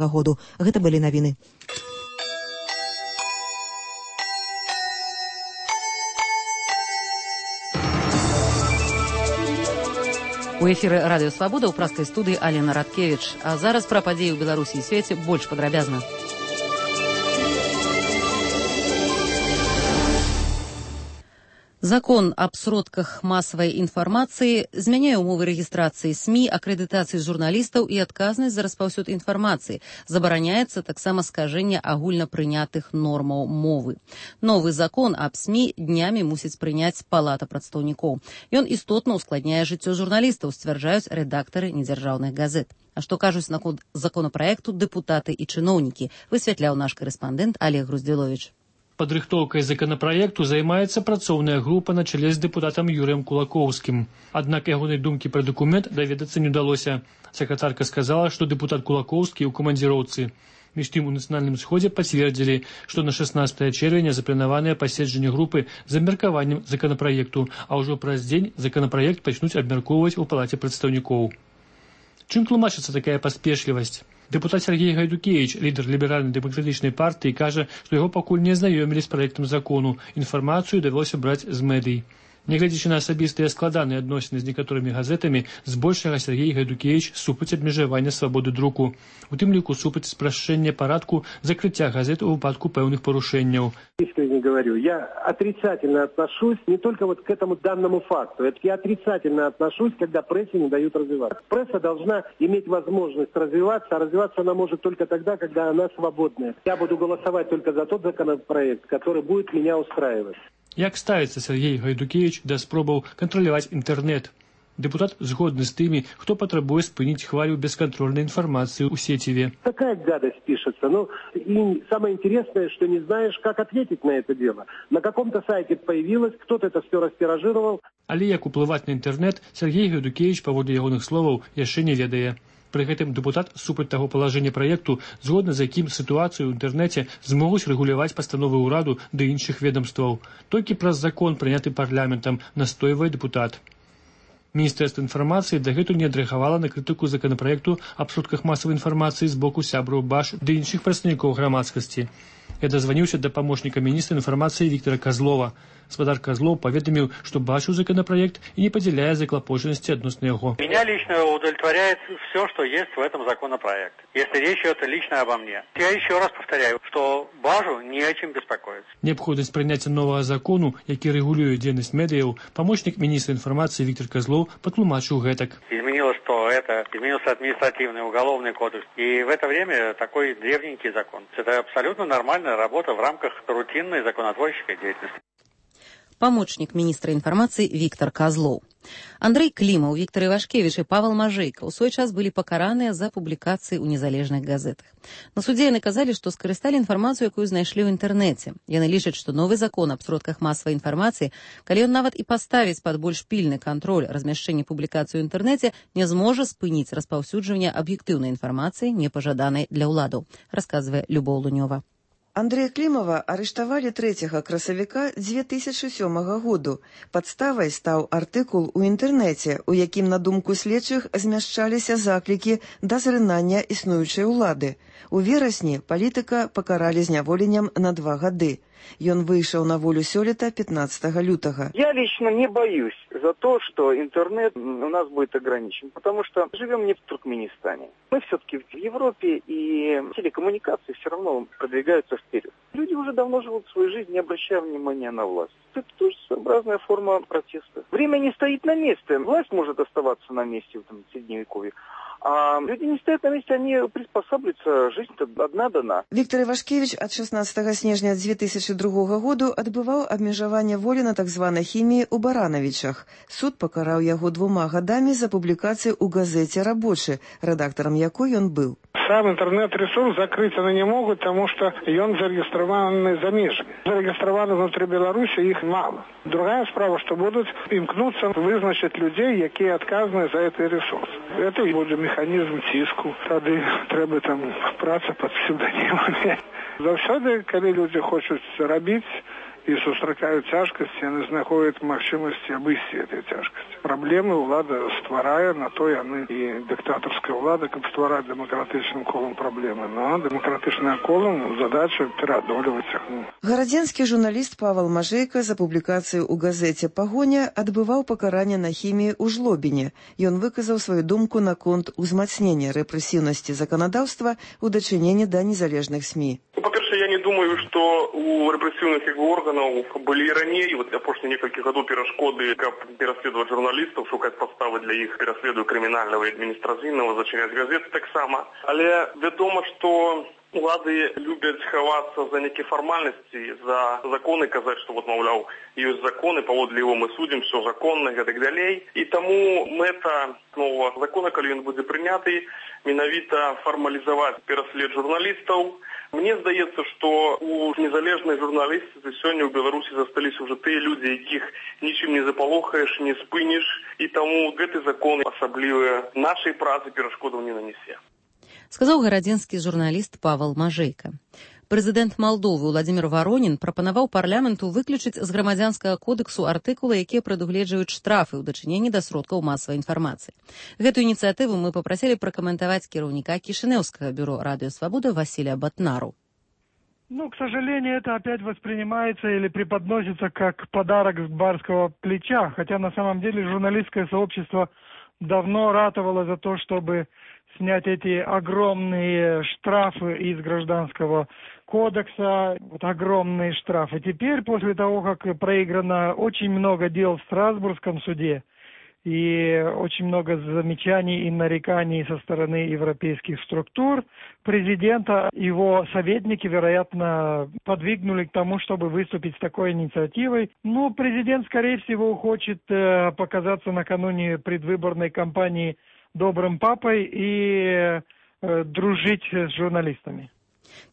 году. Гэта былі навіны. У эфіры радыё «Свабода» ў праскай студыі Алена Радкевіч. А зараз пра падзеі ў Беларусі і свеце больш падрабязна. Закон аб сродках масавай інфармацыі змяняе ўмовы рэгістрацыі СМІ, акрэдытацыі журналістаў і адказнасць за распаўсюд інфармацыі. Забараняецца таксама скажэнне агульнапрынятых нормаў мовы. Новы закон аб СМІ днямі мусіць прыняць Палата прадстаўнікоў. Ён істотна ускладняе жыццё журналістаў, сцвярджаюць рэдактары недзяржаўных газет. А што кажуць наконт законапраекту дэпутаты і чыноўнікі, высвятляў наш корэспандэнт Олег Груздзіловіч. Падрыхтоўкай законапраекту займаецца працоўная група на чале з дэпутатам Юрыем Кулакоўскім. Аднак ягонай думкі пра дакумент даведацца не ўдалося. Сакратарка сказала, што дэпутат Кулакоўскі ў камандзіроўцы. Між тым у нацыянальным сходзе пацвердзілі, што на 16 чэрвеня запланаванае паседжанне групы з абмеркаваннем законапраекту, а ўжо праз дзень законапраект пачнуць абмяркоўваць у Палаце прадстаўнікоў. Чым тлумачыцца такая паспешлівасць? Дэпутат Сергей Гайдукевич, лідар ліберальна-дэмакратычнай партыі, кажа, што яго пакуль не азнаёмілі з праектам закону. Інфармацыю давялося браць з медый. Нягледзячы на асабістыя складаныя адносіны з некаторымі газетамі, збольшага Сергей Гайдукевич супраць абмежавання свабоды друку. У тым ліку супраць спрашчэння парадку закрыцця газет у выпадку пэўных парушэнняў. Искренне говорю, я отрицательно отношусь не только вот к этому данному факту. Я отрицательно отношусь, когда прессе не дают развиваться. Пресса должна иметь возможность развиваться, а развиваться она может только тогда, когда она свободная. Я буду голосовать только за тот законопроект, который будет меня устраивать. Як ставіцца Сергей Гайдукевич да спробаў кантраляваць інтэрнэт? Депутат згодны з тымі, хто патрабуе спыніць хвалю бесконтрольной информации у сетеве. Такая гадость пишется. И самое интересное, что не знаешь, как ответить на это дело. На каком-то сайте появилось, кто-то это все растиражировал. Але як уплываць на інтэрнэт, Сергей Гайдукевич, паводле ягоных словаў, яшчэ не ведае. Пры гэтым дэпутат супраць таго палажэння праекту, згодна з якім сітуацыю ў інтэрнэце змогуць рэгуляваць пастановы ўраду ды іншых ведомстваў. Толькі праз закон, прыняты парламентам, настойвае дэпутат. Міністэрства інфармацыі дагэтуль не адрэагавала на крытыку законапраекту аб сродках масавай інфармацыі з боку сябраў БАШ ды іншых прадстаўнікоў грамадскасці. Я дазваніўся да памочніка міністра інфармацыі Віктора Козлова. Спадар Козлов поведомил, что бачил законопроект и не поделяя заклопоженности относно его. Меня лично удовлетворяет все, что есть в этом законопроекте, если речь идет лично обо мне. Я еще раз повторяю, что Бажу не о чем беспокоиться. Необходимость принятия нового закону, який регулює деятельность медиа, помощник министра информации Виктор Козлов потлумачил гэтак. Изменилось то это, изменился административный уголовный кодекс. И в это время такой древненький закон. Это абсолютно нормальная работа в рамках рутинной законотворческой деятельности. Памочнік міністра інфармацыі Віктор Козлов. Андрэй Клімаў, Віктор Івашкевіч і Павел Мажэйка ў свой час былі пакараныя за публікацыі ў незалежных газетах. На судзе яны казалі, што скарысталі інфармацыю, якую знайшлі ў інтэрнэце. Яны лічаць, што новы закон аб сродках масавай інфармацыі, калі ён нават і паставіць пад больш пільны кантроль размяшчэння публікацыі ў інтэрнэце, не зможа спыніць распаўсюджванне аб'ектыўнай інфармацыі, непажаданай для ўладаў, расказвае Любоў Лунёва. Андрэя Клімава арыштавалі 3 красавіка 2007 году. Падставай стаў артыкул у інтэрнэце, у якім, на думку следчых, змяшчаліся заклікі да зрынання існуючай улады. У верасні палітыка пакаралі зняволеннем на 2 гады. Ён выйшаў на волю сёлета 15 лютага. Я лично не боюсь за то, что интернет у нас будет ограничен, потому что живем не в Туркменистане. Мы все-таки в Европе, и телекоммуникации все равно продвигаются вперед. Люди уже давно живут свою жизнь, не обращая внимания на власть. Это тоже своеобразная форма протеста. Время не стоит на месте. Власть может оставаться на месте в Средневековье. А люди не стоят на месте, они приспосабливаются, жизнь-то одна дана. Віктор Івашкевіч ад 16 снежня 2002 году адбываў абмежаванне волі на так званай хіміі ў Баранавічах. Суд пакараў яго 2 гадамі за публікацыю ў газеце «Рабочы», рэдактарам якой ён быў. Сам интернет-ресурс закрыть они не могут, потому что он зарегистрирован за межами. Зарегистрированы внутри Беларуси их мало. Другая справа, что будут имкнуться вызначить людей, которые отказаны за этот ресурс. Это и будет механизм тиску. Тогда треба праца под псевдонімами. Завсёды, когда люди хочуть робити і сустракаюць цяжкасці, яны знаходзяць магчымасці абысці этой цяжкасці. Праблемы ўлада стварае, на то яны і дыктатарская ўлада, каб ствараць дэмакратычным колам праблемы. Но дэмакратычным колам задача пераадолеваць іх. Гарадзенскі журналіст Павел Мажейка за публікацыю ў газеце «Пагоня» адбываў пакаранне на хіміі ў Жлобіне. Ён выказаў сваю думку наконт узмацнення рэпрэсіўнасці заканадаўства ў дачыненні да незалежных СМІ. По-перше, я не думаю, што у рэпрэсіўных органаў былі раней, апошнія некалькі гадоў перашкоды, каб пераследаваць журналістаў, шукаць падставы для іх пераследу крымінальнага і адміністрацыйнага, зачыняць газеты таксама. Але вядома, што улады любяць хавацца за нейкія фармальнасці, за законы, казаць, што маўляў, ёсць законы, паводле яго мы судзім, все законна і так далей. І таму мэта новага закона, калі ён будзе прыняты, менавіта фармалізаваць пераслед журналістаў. Мне здаецца, што у незалежнай журналістыцы сёння ў Беларусі засталіся ўжо тыя людзі, якіх нічым не запалохаеш, не спыніш, і таму гэты закон асаблівыя нашай працы перашкодаў не нанесе. Сказаў гарадзенскі журналіст Павел Мажейка. Прэзідэнт Малдовы Владзімір Варонін прапанаваў парламенту выключыць з грамадзянскага кодексу артыкулы, якія прадугледжваюць штрафы ў дачыненні да сродкаў масавай інфармацыі. Гэтую ініцыятыву мы папрасілі пракаментаваць кіраўніка Кішынеўскага бюро «Радио Свобода» Василия Батнару. К сожалению, это опять воспринимается или преподносится как подарок с барского плеча, хотя на самом деле журналистское сообщество давно ратовало за то, чтобы снять эти огромные штрафы из Гражданского кодекса, огромные штрафы. Теперь, после того, как проиграно очень много дел в Страсбургском суде и очень много замечаний и нареканий со стороны европейских структур, президента, его советники, вероятно, подвигнули к тому, чтобы выступить с такой инициативой. Но президент, скорее всего, хочет показаться накануне предвыборной кампании добрым папой и дружить с журналистами.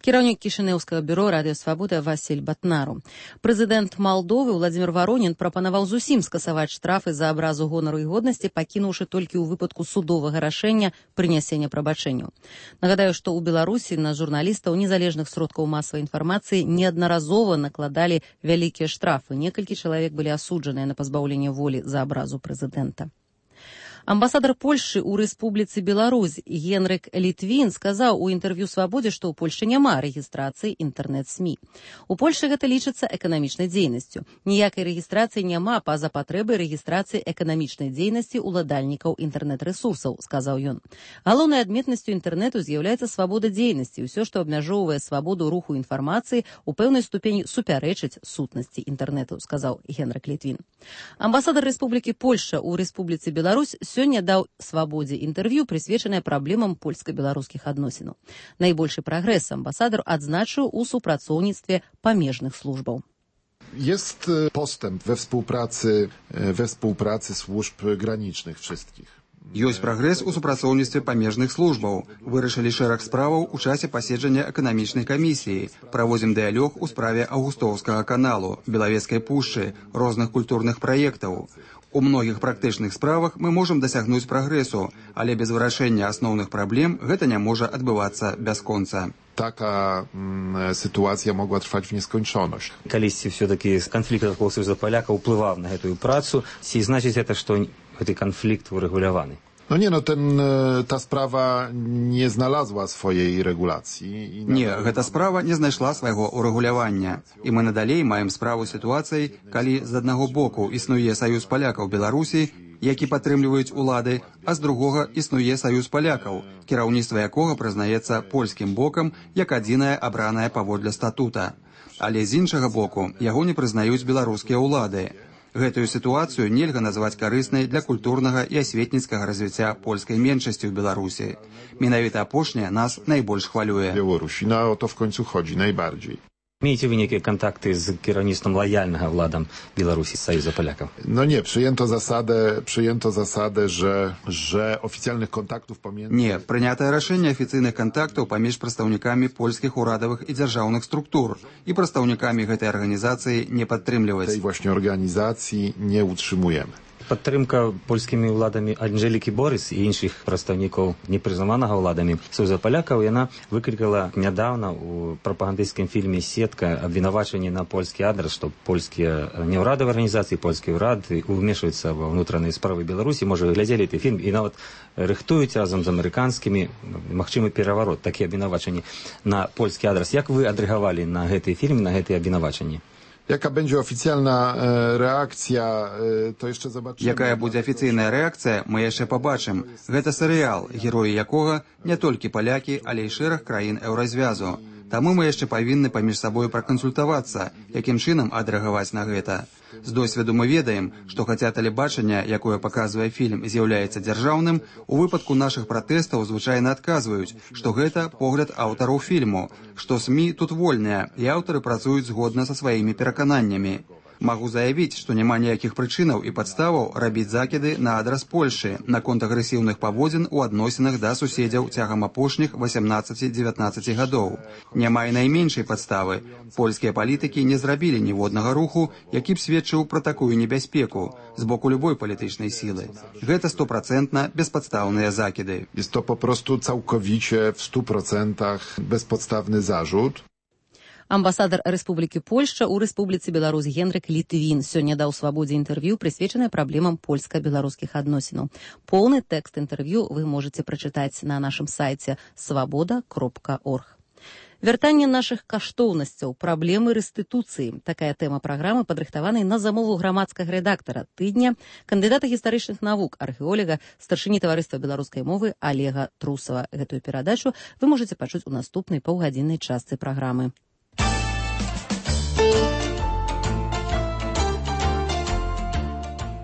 Кіраўнік Кішынеўскага бюро «Радио Свобода» Василь Батнару. Прэзідэнт Малдовы Владзімір Варонін прапанаваў зусім скасаваць штрафы за абразу гонару і годнасці, пакінуўшы толькі ў выпадку судовага рашэння прынясення прабачэнняў. Нагадаю, што ў Беларусі на журналістаў незалежных сродкаў масавай інфармацыі неаднаразова накладалі вялікія штрафы. Некалькі чалавек былі асуджаныя на пазбаўленне волі за абразу прэзідэнта. Амбасадар Польшчы ў Рэспубліцы Беларусь Генрык Літвін сказаў у інтэрв'ю «Свабодзе», што ў Польшчы няма рэгістрацыі інтэрнэт-СМІ. У Польшчы гэта лічыцца эканамічнай дзейнасцю. Ніякай рэгістрацыі няма па-за патрэбай рэгістрацыі эканамічнай дзейнасці ўладальнікаў інтэрнэт-рэсурсаў, сказаў ён. Галоўнай адметнасцю інтэрнэту з'яўляецца свабода дзейнасці. Усё, што абмяжоўвае свабоду руху інфармацыі, у пэўнай ступені супярэчыць сутнасці інтэрнэту, сказаў Генрык Літвін. Амбасадар Рэспублікі Польшча ў Рэспубліцы Беларусь сёння даў «Свабодзе» інтэрв'ю, прысвечанае праблемам польска-беларускіх адносінаў. Найбольшы прагрэс амбасадар адзначыў у супрацоўніцтве памежных службаў. Jest postęp we współpracy służb granicznych wszystkich. Ёсць прагрэс у супрацоўніцтве памежных службаў. Вырашылі шэраг справаў у часе паседжання эканамічнай камісіі. Праводзім дыялог у справе Аўгустоўскага каналу, Белавецкай пушчы, розных культурных праектаў. У многіх практычных справах мы можам дасягнуць прагрэсу, але без вырашэння асноўных праблем гэта не можа адбывацца бясконца. Taka sytuacja mogła trwać w nieskończoność. Калісьці все-таки конфликт вакол Союза Поляка ўплываў на гэтую працу, ці значыць это, што гэты канфлікт урэгуляваны? Ta sprawa nie znalazła swojej regulacji. Nie, гэта справа не знайшла свайго урэгулявання. І мы надалей маем справу сітуацыяй, калі з аднаго боку існуе Саюз палякаў Беларусі, які падтрымліваюць улады, а з другога існуе Саюз палякаў, кіраўніцтва якога прызнаецца польскім бокам як адзінае абранае паводле статута. Але з іншага боку яго не прызнаюць беларускія ўлады. Гэтую сітуацыю нельга назваць карыснай для культурнага і асветніцкага развіцця польскай меншасці ў Беларусі. Менавіта апошняе нас найбольш хвалюе. Беларусі, o to w końcu chodzi najbardziej. Маеце вы нейкія контакты з кіраўніцтвам лаяльнага ўладам Беларусі з Саюза палякаў? Nie, przyjęto zasadę, że oficjalnych kontaktów pomiędzy... Nie, прынятае рашэнне афіцыйных кантактаў паміж прадстаўнікамі польскіх урадавых і дзяржаўных структур і прадстаўнікамі гэтай арганізацыі не падтрымліваць. Tej właśnie organizacji nie utrzymujemy. Падтрымка польскімі ўладамі Анжэлікі Борыс і іншых прадстаўнікоў непрызнаванага ўладамі Союза палякаў, яна выклікала нядаўна ў прапагандысцкім фільме «Сетка» абвінавачанне на польскі адрас, што польскія неўрадавыя арганізацыі, польскі ўрад ўмешваюцца ва ўнутраныя справы Беларусі. Можа, вы глядзелі гэты фільм і нават рыхтуюць разам з амерыканскімі магчымы пераварот, такія абвінавачанні на польскі адрас. Як вы адрэагавалі на гэты фільм, на гэтыя абвінавачанні? Jaka będzie oficjalna reakcja, to jeszcze zobaczymy. Якая будзе афіцыйная рэакцыя, мы яшчэ пабачым. Гэта серыял, героі якога не толькі палякі, але і шэраг краін еўразвязу. Таму мы яшчэ павінны паміж сабой пракансультавацца, якім чынам адрэагаваць на гэта. З досведу мы ведаем, што хаця тэлебачанне, якое паказвае фільм, з'яўляецца дзяржаўным, у выпадку нашых пратэстаў звычайна адказваюць, што гэта погляд аўтараў фільму, што СМІ тут вольныя, і аўтары працуюць згодна са сваімі перакананнямі. Магу заявіць, што няма ніякіх прычынаў і падставаў рабіць закіды на адрас Польшы наконт агрэсіўных паводзін у адносінах да суседзяў цягам апошніх 18-19 гадоў. Няма і найменшай падставы. Польскія палітыкі не зрабілі ніводнага руху, які б сведчыў пра такую небяспеку з боку любой палітычнай сілы. Гэта 100% безпадстаўныя закіды. Jest to po prostu całkowicie w 100% bezpodstawny zarzut. Амбасадар Рэспублікі Польшча ў Рэспубліцы Беларусь Генрык Літвін сёння даў «Свабодзе» інтэрв'ю, прысвечанае праблемам польска-беларускіх адносінаў. Поўны тэкст інтэрв'ю вы можаце прачытаць на нашым сайце swaboda.org. Вяртанне нашых каштоўнасцяў, праблемы рэстытуцыі. Такая тэма праграмы, падрыхтаванай на замову грамадскага рэдактара тыдня, кандыдата гістарычных навук, археолага, старшыні таварыства беларускай мовы Олега Трусова. Гэтую перадачу вы можаце пачуць у наступнай паўгадзіннай частцы праграмы.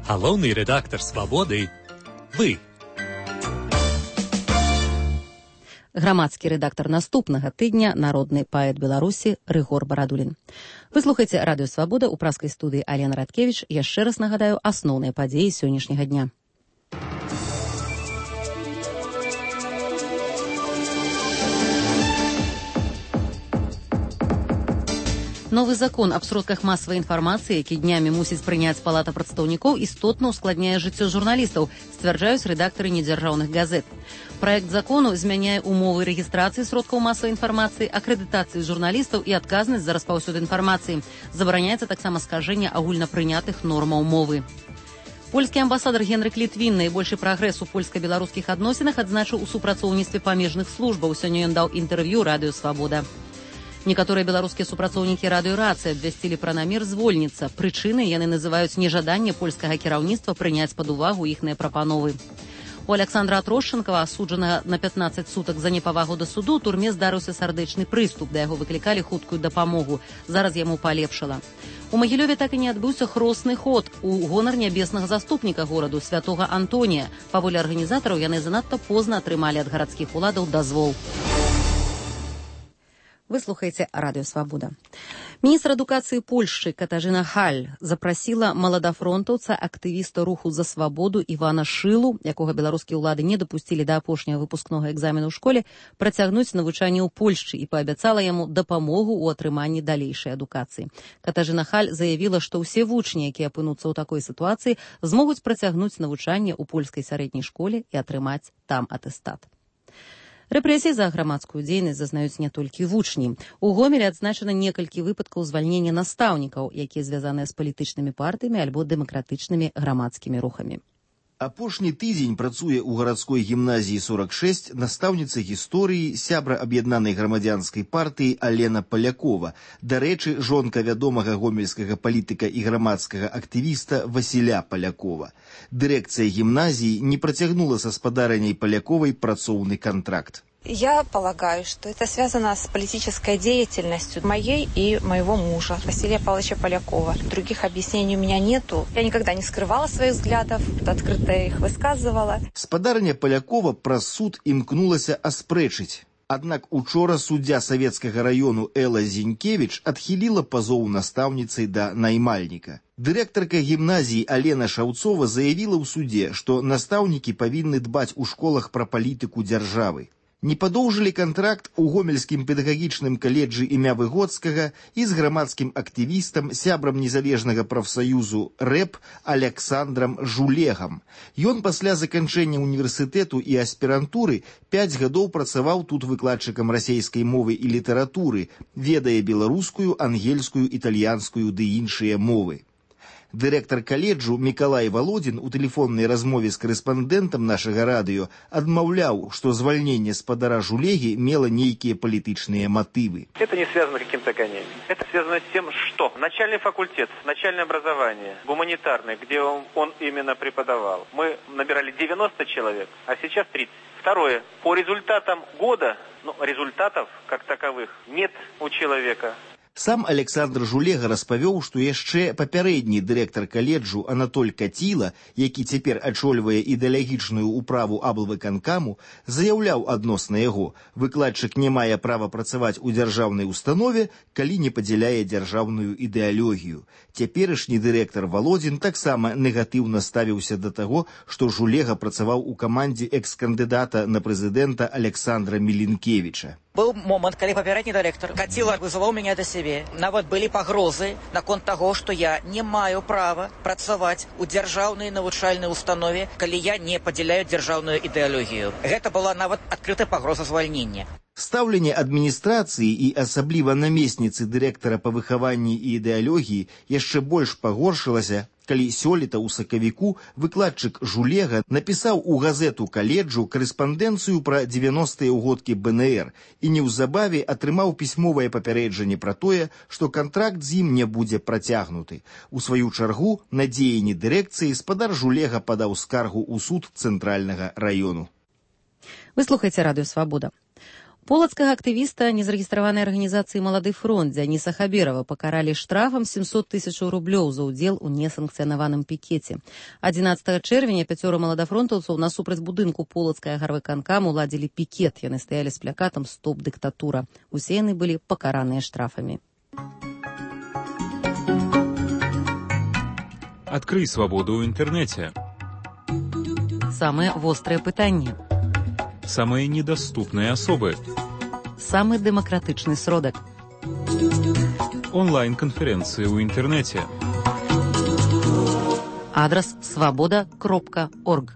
Галоўны рэдактар «Свабоды» – вы. Грамадскі рэдактар наступнага тыдня, народны паэт Беларусі Рыгор Барадулін. Вы слухаеце радыё «Свабода» ў праскай студыі Алена Радкевіч. Яшчэ раз нагадаю асноўныя падзеі сённяшняга дня. Новы закон аб сродках масавай інфармацыі, які днямі мусіць прыняць палата прадстаўнікоў, істотна ускладняе жыццё журналістаў, сцвярджаюць рэдактары недзяржаўных газет. Праект закону змяняе умовы рэгістрацыі сродкаў масавай інфармацыі, акрэдытацыі журналістаў і адказнасць за распаўсюд інфармацыі. Забараняецца таксама скажэнне агульнапрынятых нормаў мовы. Польскі амбасадар Генрык Літвін найбольшы прагрэс у польска-беларускіх адносінах адзначыў у супрацоўніцтве памежных службаў. Сёння ён даў інтэрв'ю радыё «Свабода». Некаторыя беларускія супрацоўнікі радыёрацыі абвясцілі пра намер звольніцца. Прычынай яны называюць нежаданне польскага кіраўніцтва прыняць пад увагу іхныя прапановы. У Александра Трошченкава, асуджанага на 15 сутак за непавагу да суду, у турме здарыўся сардэчны прыступ, да яго выклікалі хуткую дапамогу. Зараз яму палепшала. У Магілёве так і не адбыўся хросны ход у гонар нябеснага заступніка гораду святога Антонія. Паволі арганізатараў, яны занадта позна атрымалі ад гарадскіх уладаў дазвол. Вы слухаеце радыё «Свабода». Міністр адукацыі Польшчы Катажына Халь запрасіла маладафронтаўца, актывіста руху за свабоду Івана Шылу, якога беларускія ўлады не дапусцілі да апошняга выпускнога экзамену ў школе, працягнуць навучанне ў Польшчы і паабяцала яму дапамогу ў атрыманні далейшай адукацыі. Катажына Халь заявіла, што ўсе вучні, якія апынуцца ў такой сітуацыі, змогуць працягнуць навучанне ў польскай сярэдняй школе і атрымаць там атэстат. Рэпрэсіі за грамадскую дзейнасць зазнаюць не толькі вучні. У Гомелі адзначана некалькі выпадкаў звальнення настаўнікаў, якія звязаныя з палітычнымі партыямі альбо дэмакратычнымі грамадскімі рухамі. Апошні тыдзень працуе ў гарадской гімназіі 46 настаўніца гісторыі, сябра аб'яднанай грамадзянскай партыі Алена Палякова. Дарэчы, жонка вядомага гомельскага палітыка і грамадскага актывіста Васіля Палякова. Дырэкцыя гімназіі не працягнула са спадарняй Паляковай працоўны контракт. Я полагаю, что это связано с политической деятельностью моей и моего мужа, Василия Павловича Полякова. Других объяснений у меня нету. Я никогда не скрывала своих взглядов, открыто их высказывала. Спадарня Полякова праз суд імкнулася аспрэчыць. Аднак учора суддзя савецкага раёну Элла Зінкевіч адхіліла пазоў настаўніцай да наймальніка. Дырэктарка гімназіі Алена Шаўцова заявіла ў судзе, што настаўнікі павінны дбаць у школах пра палітыку дзяржавы. Не падоўжылі кантракт у гомельскім педагагічным каледжы імя Выгодскага і з грамадскім актывістам, сябрам незалежнага прафсаюзу РЭП Александрам Жулегам. Ён пасля заканчэння універсітэту і аспірантуры 5 гадоў працаваў тут выкладчыкам расейскай мовы і літаратуры, ведае беларускую, ангельскую, італьянскую ды іншыя мовы. Дырэктар каледжу Мікалай Володін у тэлефоннай размове з карэспандэнтам нашага радыё адмаўляў, што звальненне спадара Жулегі мела нейкія палітычныя матывы. Это не связано с каким-то гонением. Это связано с тем, что начальный факультет, начальное образование, гуманитарное, где он именно преподавал, мы набирали 90 человек, а сейчас 30. Второе. По результатам года, результатов как таковых нет у человека. Сам Александр Жулега распавёў, што яшчэ папярэдні дырэктар каледжу Анатоль Каціла, які цяпер ачольвае ідэалагічную ўправу аблвыканкаму, заяўляў адносна яго: выкладчык не мае права працаваць у дзяржаўнай установе, калі не падзяляе дзяржаўную ідэалогію. Цяперашні дырэктар Володін таксама негатыўна ставіўся да таго, што Жулега працаваў у камандзе экс-кандыдата на прэзідэнта Александра Мілінкевіча. Был момент, когда попередний директор Катила вызывал меня до себе. Нават были погрозы наконт того, что я не маю права працаваць у дзяржаўнай навучальнай установе, калі я не падзяляю дзяржаўную ідэалогію. Гэта была нават адкрытая пагроза звальнення. Стаўленне адміністрацыі і асабліва намесніцы дырэктара па выхаванні і ідэалогіі яшчэ больш пагоршылася, калі сёлета ў сакавіку выкладчык Жулега напісаў у газету каледжу карэспандэнцыю пра 90-е ўгодкі БНР і неўзабаве атрымаў пісьмовае папярэджанне пра тое, што кантракт з ім не будзе працягнуты. У сваю чаргу на дзеянні дырэкцыі спадар Жулега падаў скаргу ў суд цэнтральнага раёну. Вы слухаеце радыё «Свабода». Полацкага актывіста незарэгістраванай арганізацыі «Малады фронт» Дзяніса Хаберова пакаралі штрафам 700 000 рублёў за ўдзел у несанкцыянаваным пікеце. 11 чэрвеня 5 маладафронтаўцаў насупраць будынку Полацкага гарвыканкаму ладзілі пікет. Яны стаялі з плакатам «Стоп дыктатура». Усе яны былі пакараныя штрафамі. Адкрый свабоду ў інтэрнэце. Самыя вострыя пытанні. Самые недоступные особы. Самый демократичный сродок. Онлайн-конференции в интернете. Адрес svoboda.org.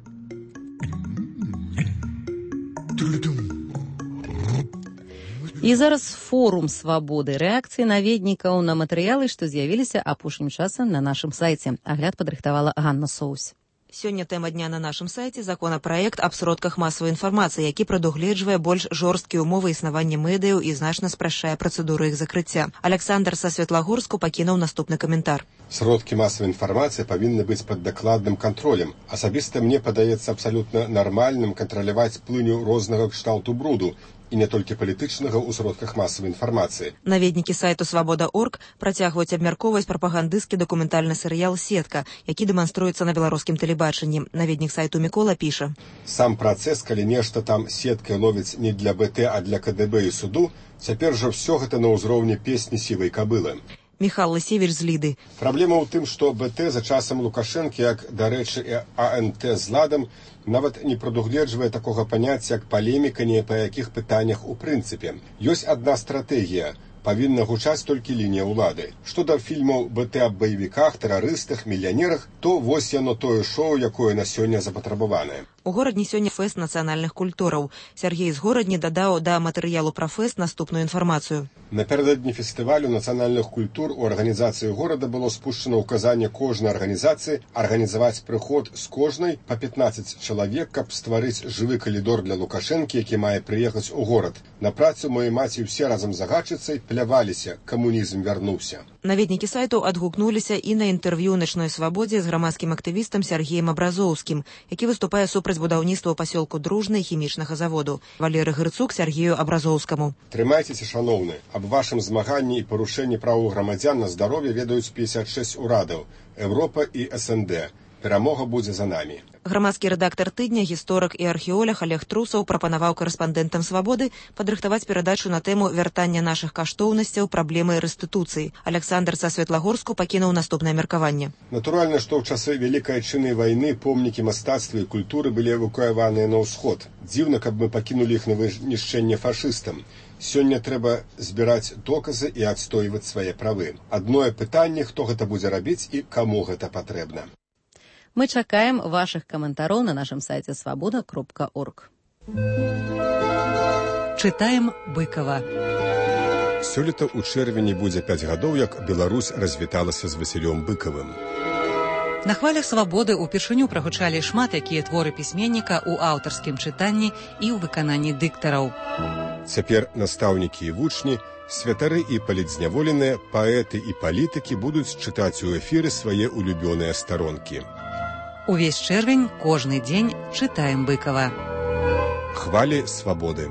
І зараз форум свабоды, рэакцыі наведнікаў на матэрыялы, што з'явіліся апошнім часам на нашым сайце. Агляд падрыхтавала Ганна Соусь. Сёння тэма дня на нашым сайце законапраект аб сродках масавай інфармацыі, які прадугледжвае больш жорсткія ўмовы існавання медыяў і значна спрашчае працэдуру іх закрыцця. Александр са Светлагорску пакінуў наступны каментар. Сродкі масавай інфармацыі павінны быць пад дакладным кантролем. Асабіста мне падаецца абсалютна нармальным кантраляваць плыню рознага кшталту бруду, і не толькі палітычнага ў сродках масавай інфармацыі. Наведнікі сайту «Свабода.орг» працягваюць абмяркоўваць прапагандысцкі дакументальны серыял «Сетка», які дэманструецца на беларускім тэлебачанні. Наведнік сайту Мікола піша. Сам працэс, калі нешта там сеткай ловіць не для БТ, а для КДБ і суду, цяпер жа ўсё гэта на ўзроўні песні сівай кабылы. Міхал Лысевіч з Ліды. Праблема ў тым, што БТ за часам Лукашэнкі, як, дарэчы, і АНТ з ладам, нават не прадугледжвае такога паняцця, як палеміка ні па якіх пытаннях у прынцыпе. Ёсць адна стратэгія. Павінна гучаць толькі лінія ўлады. Што да фільмаў БТ аб баевіках, тэрарыстах, мільянерах, то вось яно тое шоу, якое на сёння запатрабаванае. У горадні сёння фэст нацыянальных культураў. Сяргей з горадні дадаў да матэрыялу пра фэст наступную інфармацыю. Напярэдадні фестывалю нацыянальных культур у арганізацыі горада было спушчана ўказанне кожнай арганізацыі арганізаваць прыход з кожнай па 15 чалавек, каб стварыць жывы калідор для Лукашэнкі, які мае прыехаць у горад. На працу мае маці ўсе разам з загадчыцай пляваліся, камунізм вярнуўся. Наведнікі сайту адгукнуліся і на інтэрв'ю «Начной свабодзе» з грамадскім актывістам Сергеем Абразоўскім, які выступае супраць будаўніцтва ў пасёлку Дружны хімічнага заводу. Валерый Грыцук Сергею Абразоўскаму. Трымайцеся, шаноўны. Аб вашым змаганні і парушэнні правоў грамадзян на здароўе ведаюць 56 урадаў, Еўропа і СНД. Перамога будзе за намі. Грамадскі рэдактар тыдня, гісторык і археолог Олег Трусаў прапанаваў карэспандэнтам «Свабоды» падрыхтаваць перадачу на тэму вяртання нашых каштоўнасцяў, праблемы рэстытуцыі. Александр са Светлагорску пакінуў наступнае меркаванне. Натуральна, што ў часы Вялікай Адчыннай вайны помнікі мастацтва і культуры былі эвакуяваныя на ўсход. Дзіўна, каб мы пакінулі іх на вынішчэнне фашыстам. Сёння трэба збіраць доказы і адстойваць свае правы. Адное пытанне, хто гэта будзе рабіць і каму гэта патрэбна. Мы чакаем вашых каментароў на нашым сайце свабода.орг. Чытаем Быкова. Сёлета ў чэрвені будзе 5 гадоў, як Беларусь развіталася з Васілём Быкавым. На хвалях «Свабоды» упершыню прагучалі шмат якія творы пісьменніка ў аўтарскім чытанні і ў выкананні дыктараў. Цяпер настаўнікі і вучні, святары і палітзняволеныя, паэты і палітыкі будуць чытаць у эфіры свае улюбёныя старонкі. Увесь чэрвень, кожны дзень чытаем Быкова. Хвалі свабоды.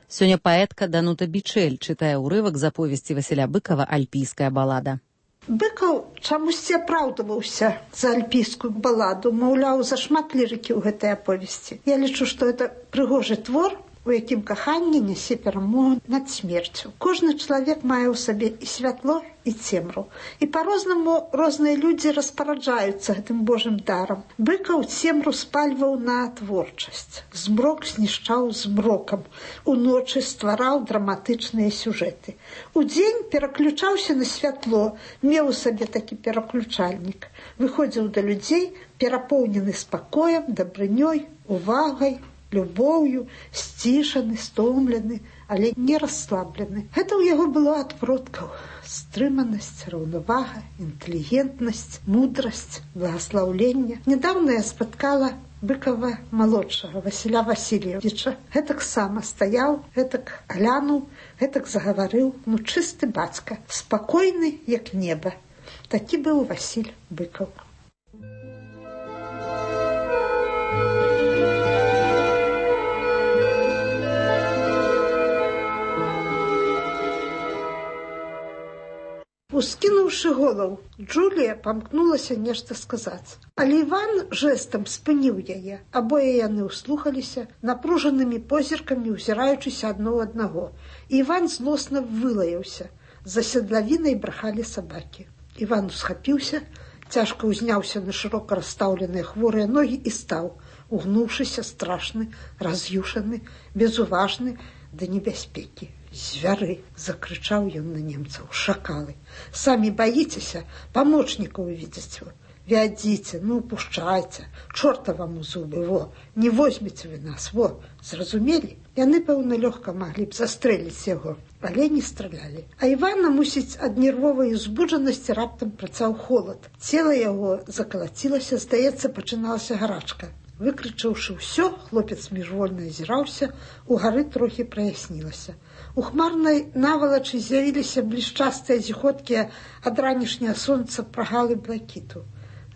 Сёння паэтка Данута Бичэль чытае ўрывак з аповесці Васіля Быкова «Альпійская балада». Быкаў чамусьці апраўдваўся за альпійскую баладу, маўляў, зашмат лірыкі ў гэтай аповесці. Я лічу, што гэта прыгожы твор, у якім каханне нясе перамогу над смерцю. Кожны чалавек мае ў сабе і святло, і цемру. І па-рознаму розныя людзі распараджаюцца гэтым Божым дарам. Быкаў цемру спальваў на творчасць. Змрок знішчаў змрокам. Уночы ствараў драматычныя сюжэты. Удзень пераключаўся на святло, меў у сабе такі пераключальнік. Выходзіў да людзей, перапоўнены спакоем, дабрынёй, увагай, любоўю, сцішаны, стомлены, але не расслаблены. Гэта ў яго было ад продкаў. Стрыманасць, раўнавага, інтэлігентнасць, мудрасць, благаслаўленне. Нядаўна я спаткала Быкава малодшага, Васіля Васильевича. Гэтак сама стаяў, гэтак глянуў, гэтак загаварыў, чысты бацька, спакойны, як неба. Такі быў Васіль Быкаў. Ускінуўшы голаў, Джулія памкнулася нешта сказаць. Але Іван жэстам спыніў яе. Абое яны ўслухаліся, напружанымі позіркамі ўзіраючыся адно ў аднаго. І Іван злосна вылаяўся. За седлавінай брахалі сабакі. Іван усхапіўся, цяжка ўзняўся на шырока расстаўленыя хворыя ногі і стаў, угнуўшыся, страшны, раз'юшаны, безуважны да небяспекі. «Звяры!» – закрычаў ён на немцаў. «Шакалы! Самі баіцеся, памочнікаў увидзець. Вядзіце, пушчайце, чорта вам у зубы, во! Не возьмеце вы нас, во! Зразумелі?» Яны, пэўна, лёгка маглі б застрэліць яго, але не стралялі. А Івана, мусіць, ад нервовай узбуджанасці раптам працаў холад. Цела яго закалацілася, здаецца, пачыналася гарачка. Выкрычаўшы ўсё, хлопец міжвольна азіраўся, угары трохі праяснілася. У хмарнай навалачы з'явіліся блішчастыя зіходкія ад ранішняга сонца прагалы блакіту.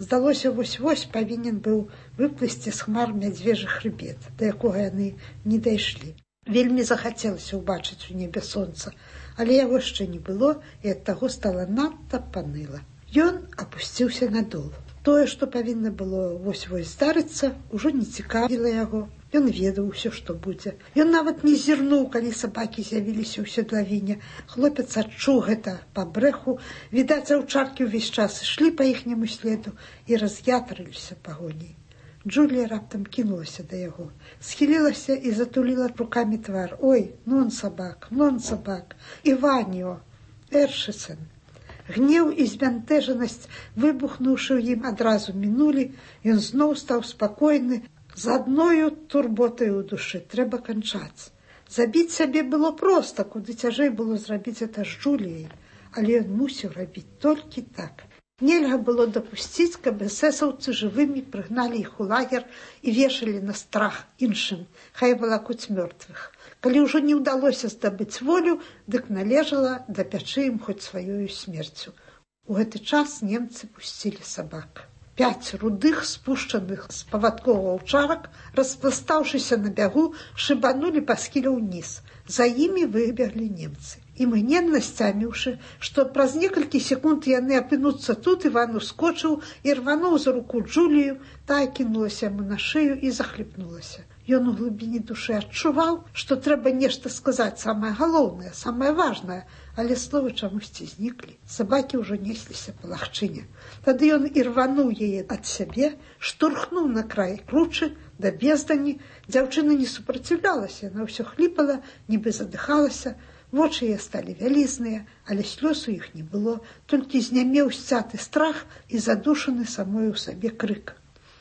Здалося, вось-вось павінен быў выплысці з хмар мядзвежы хрыбет, да якога яны не дайшлі. Вельмі захацелася ўбачыць у небе сонца, але яго яшчэ не было, і ад таго стала надта паныла. Ён апусціўся надол. Тое, што павінна было вось-вось здарыцца, ужо не цікавіла яго. Ён ведаў усё, што будзе. Ён нават не зірнуў, калі сабакі з'явіліся ў седлавіне. Хлопец адчуў гэта па брэху. Відаць, аўчаркі ўвесь час ішлі па іхняму следу і раз'ятрыліся пагоняй. Джулія раптам кінулася да яго, схілілася і затуліла рукамі твар. «Ой, нон сабак, Іваніо, Эршыцэн». Гнеў і збянтэжанасць, выбухнуўшы ў ім, адразу мінулі, ён зноў стаў спакойны, з адною турботай у душы. Трэба канчаць. Забіць сябе было проста, куды цяжэй было зрабіць гэта з Джуліяй, але ён мусіў рабіць толькі так. Нельга было дапусціць, каб эсэсаўцы жывымі прыгналі іх у лагер і вешалі на страх іншым, хай валакуць мёртвых. Калі ўжо не ўдалося здабыць волю, дык належала дапячы ім хоць сваёю смерцю. У гэты час немцы пусцілі сабак. 5 рудых, спушчаных з павадкоў аўчарак, распластаўшыся на бягу, шыбанулі па схіле ўніз. За імі выбеглі немцы. Імгненна сцяміўшы, што праз некалькі секунд яны апынуцца тут, Іван ускочыў і рвануў за руку Джулію, тая кінулася яму на шыю і захліпнулася. Ён у глыбіні душы адчуваў, што трэба нешта сказаць самае галоўнае, самае важнае, але словы чамусьці зніклі. Сабакі ўжо несліся па лагчыне. Тады ён і рвануў яе ад сябе, штурхнуў на край кручы да бездані. Дзяўчына не супраціўлялася, яна ўсё хліпала, нібы задыхалася. Вочы яе сталі вялізныя, але слёз у іх не было, толькі знямеў сцяты страх і задушаны самой у сабе крык.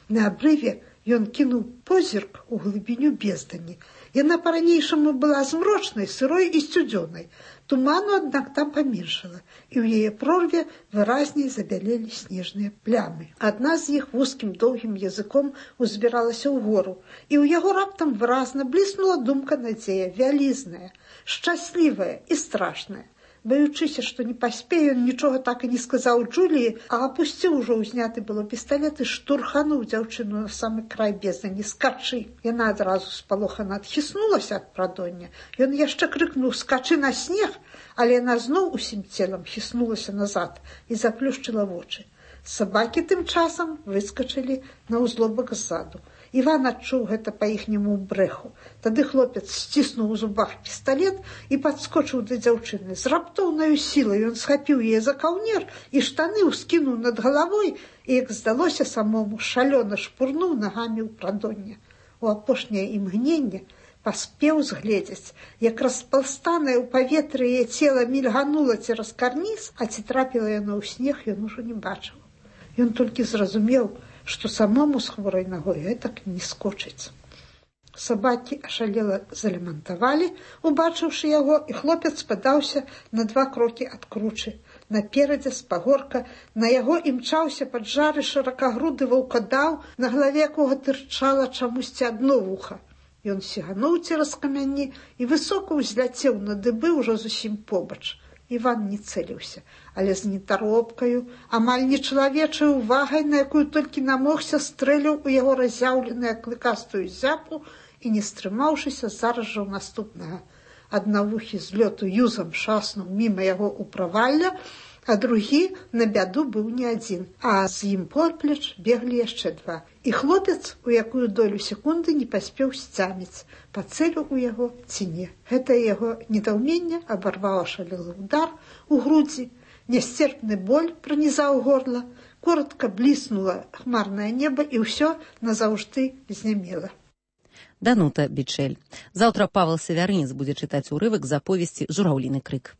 На абрыве ён кінуў позірк у глыбіню бездані. Яна па-ранейшаму была змрочнай, сырой і сцюдзёнай. Туману, аднак, там паменшала, і ў яе прорве выразней забялелі снежныя плямы. Адна з іх вузкім доўгім языком узбіралася ўгору, і ў яго раптам выразна бліснула думка надзея, вялізная, шчаслівая і страшная. Баючыся, што не паспее, ён нічога так і не сказаў Джуліі, а апусціў ужо ўзняты было пісталет і штурхануў дзяўчыну на самы край бездані. Скачы! Яна адразу спалохана адхіснулася ад прадоння. Ён яшчэ крыкнуў «Скачы на снег!», але яна зноў усім целам хіснулася назад і заплюшчыла вочы. Сабакі тым часам выскачылі на ўзлобак ззаду. Іван адчуў гэта па іхняму брэху. Тады хлопец сціснуў у зубах пісталет і падскочыў да дзяўчыны. З раптоўнаю сілай ён схапіў яе за каўнер і штаны ўскінуў над галавой і, як здалося самому, шалёна шпурнуў нагамі ў прадонне. У апошняе імгненне паспеў згледзець, як распалстанае ў паветры яе цела мільганула цераз карніз, а ці трапіла яно ў снег, ён ужо не бачыў. Ён толькі зразумеў, што самому з хворай ногой гэтак не скочыць. Сабакі ашалела залямантавалі, убачыўшы яго, і хлопец падаўся на 2 крокі ад кручы. Наперадзе з пагорка на яго імчаўся пад жары шыракагруды ваўкадаў, на галаве якога тырчала чамусьці адно вуха. Ён сігануў цераз камяні і высока ўзляцеў на дыбы ўжо зусім побач. Іван не цэліўся, але з нетаропкаю, амаль нечалавечай увагай, на якую толькі намогся, стрэліў у яго разяўленую клыкастую зяпу і, не стрымаўшыся, зараз жа ў наступнага. Аднавухі з лёту юзам шаснуў міма яго ў правалля, а другі, на бяду, быў не адзін, а з ім поплеч беглі яшчэ 2. І хлопец у якую долю секунды не паспеў сцяміць, пацэліў у яго ці не. Гэтае яго недаўменне абарваў ашалелы ўдар у грудзі, нясцерпны боль пранізаў горла, коротка бліснула хмарнае неба і ўсё назаўжды знямела. Данута Бичель. Заўтра Павел Савярынец будзе чытаць урывак з аповесці «Жураўліны крык».